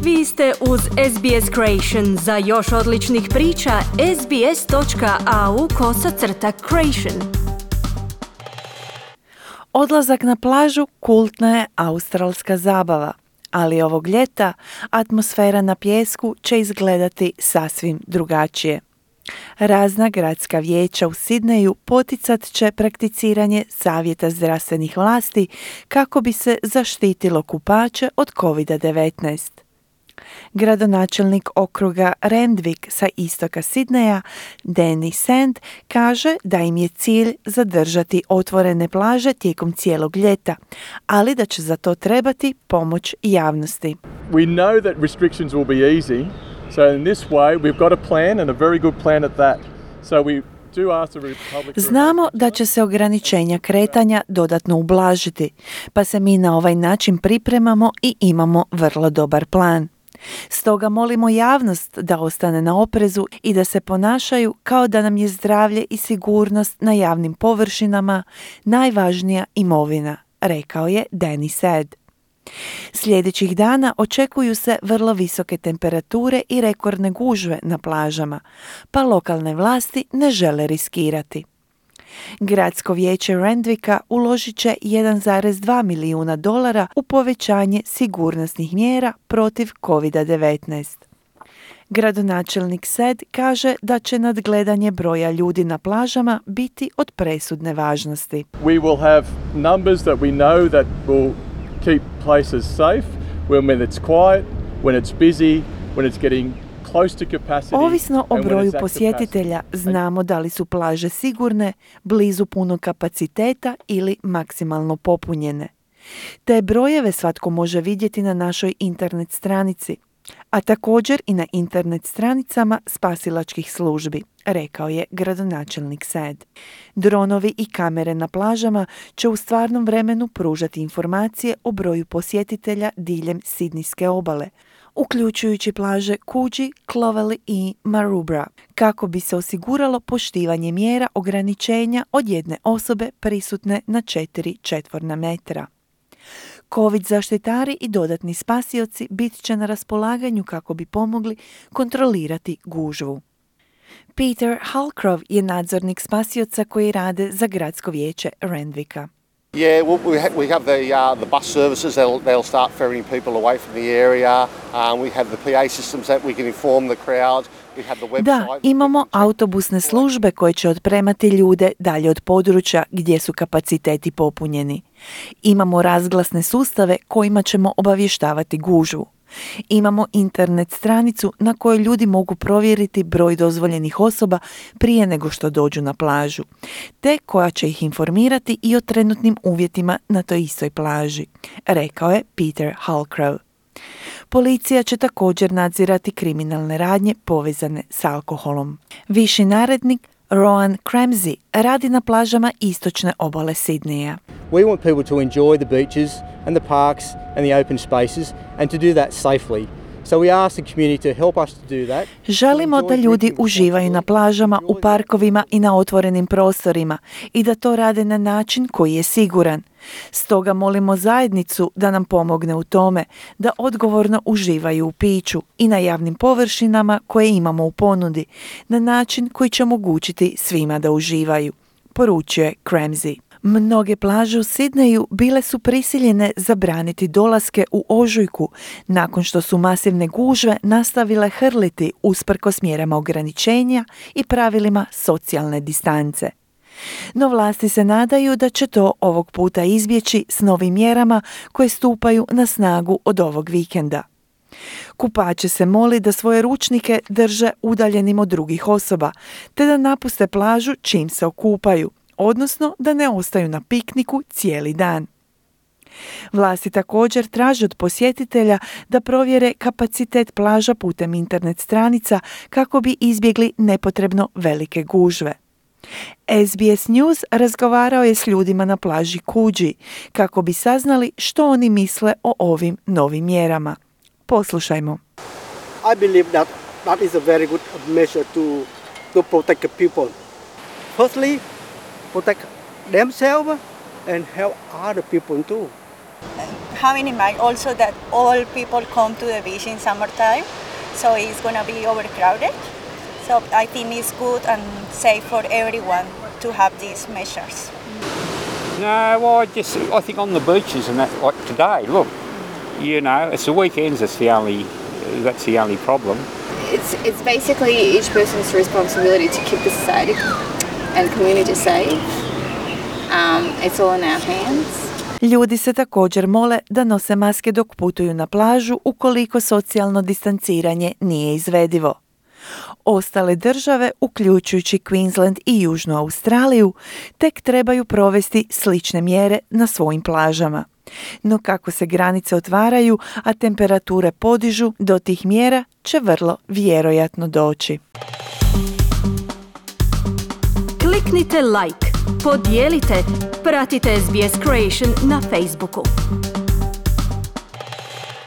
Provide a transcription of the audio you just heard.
Vi ste uz SBS Creation. Za još odličnih priča, sbs.au/creation. Odlazak na plažu kultna je australska zabava, ali ovog ljeta atmosfera na pijesku će izgledati sasvim drugačije. Razna gradska vijeća u Sidneju poticat će prakticiranje savjeta zdravstvenih vlasti kako bi se zaštitilo kupače od COVID-19. Gradonačelnik okruga Randwick sa istoka Sidneja, Danny Sand, kaže da im je cilj zadržati otvorene plaže tijekom cijelog ljeta, ali da će za to trebati pomoć javnosti. We know that restrictions will be easy, so in this way we've got a plan and a very good plan at that. So we do ask the Republic. Znamo da će se ograničenja kretanja dodatno ublažiti, pa se mi na ovaj način pripremamo i imamo vrlo dobar plan. Stoga molimo javnost da ostane na oprezu i da se ponašaju kao da nam je zdravlje i sigurnost na javnim površinama najvažnija imovina, rekao je Danny Sand. Sljedećih dana očekuju se vrlo visoke temperature i rekordne gužve na plažama, pa lokalne vlasti ne žele riskirati. Gradsko vijeće Randwicka uložit će $1,2 milijuna u povećanje sigurnosnih mjera protiv COVID-19. Gradonačelnik Sed kaže da će nadgledanje broja ljudi na plažama biti od presudne važnosti. We will have numbers that we know that will keep places safe when it's quiet, when it's busy, when it's getting close to capacity. Ovisno o broju posjetitelja znamo da li su plaže sigurne, blizu punog kapaciteta ili maksimalno popunjene. Te brojeve svatko može vidjeti na našoj internet stranici, a također i na internet stranicama spasilačkih službi, rekao je gradonačelnik Sand. Dronovi i kamere na plažama će u stvarnom vremenu pružati informacije o broju posjetitelja diljem Sidnijske obale, uključujući plaže Coogee, Clovelly i Maroubra, kako bi se osiguralo poštivanje mjera ograničenja od jedne osobe prisutne na 4 četvorna metra. COVID zaštitari i dodatni spasioci bit će na raspolaganju kako bi pomogli kontrolirati gužvu. Peter Halcrow je nadzornik spasioca koji rade za gradsko vijeće Randwicka. Yeah, we have the bus services. They'll start ferrying people away from the area. We have the PA systems that we can inform the crowd. We have the website. Da, imamo autobusne službe koje će otpremati ljude dalje od područja gdje su kapaciteti popunjeni. Imamo razglasne sustave kojima ćemo obavještavati gužvu. Imamo internet stranicu na kojoj ljudi mogu provjeriti broj dozvoljenih osoba prije nego što dođu na plažu, te koja će ih informirati i o trenutnim uvjetima na toj istoj plaži, rekao je Peter Halcrow. Policija će također nadzirati kriminalne radnje povezane s alkoholom. Viši narednik Rowan Cramsey radi na plažama istočne obale Sidneja. We want people to enjoy the beaches and the parks and the open spaces and to do that safely. So we ask the community to help us to do that. Želimo da ljudi uživaju na plažama, u parkovima i na otvorenim prostorima i da to rade na način koji je siguran. Stoga molimo zajednicu da nam pomogne u tome da odgovorno uživaju u piću i na javnim površinama koje imamo u ponudi, na način koji će omogućiti svima da uživaju, poručuje Cramsey. Mnoge plaže u Sidneju bile su prisiljene zabraniti dolaske u ožujku nakon što su masivne gužve nastavile hrliti usprkos mjerama ograničenja i pravilima socijalne distance. No vlasti se nadaju da će to ovog puta izbjeći s novim mjerama koje stupaju na snagu od ovog vikenda. Kupače se moli da svoje ručnike drže udaljenim od drugih osoba, te da napuste plažu čim se okupaju, odnosno da ne ostaju na pikniku cijeli dan. Vlasti također traže od posjetitelja da provjere kapacitet plaža putem internet stranica kako bi izbjegli nepotrebno velike gužve. SBS News razgovarao je s ljudima na plaži Coogee kako bi saznali što oni misle o ovim novim mjerama. Poslušajmo. I believe that is a very good measure to protect the people. Firstly, protect themselves and help other people too. Having in mind also that all people come to the beach in summertime, so it's going to be overcrowded. So I think it's good and safe for everyone to have these measures. No, well, I think on the beaches and that, like today, look, you know, it's the weekends. That's the only problem. It's basically each person's responsibility to keep the society and community safe. It's all in our hands. Ljudi se također mole da nose maske dok putuju na plažu ukoliko socijalno distanciranje nije izvedivo. Ostale države, uključujući Queensland i Južnu Australiju, tek trebaju provesti slične mjere na svojim plažama. No kako se granice otvaraju, a temperature podižu, do tih mjera će vrlo vjerojatno doći. Kliknite like, podijelite, pratite SBS Creation na Facebooku.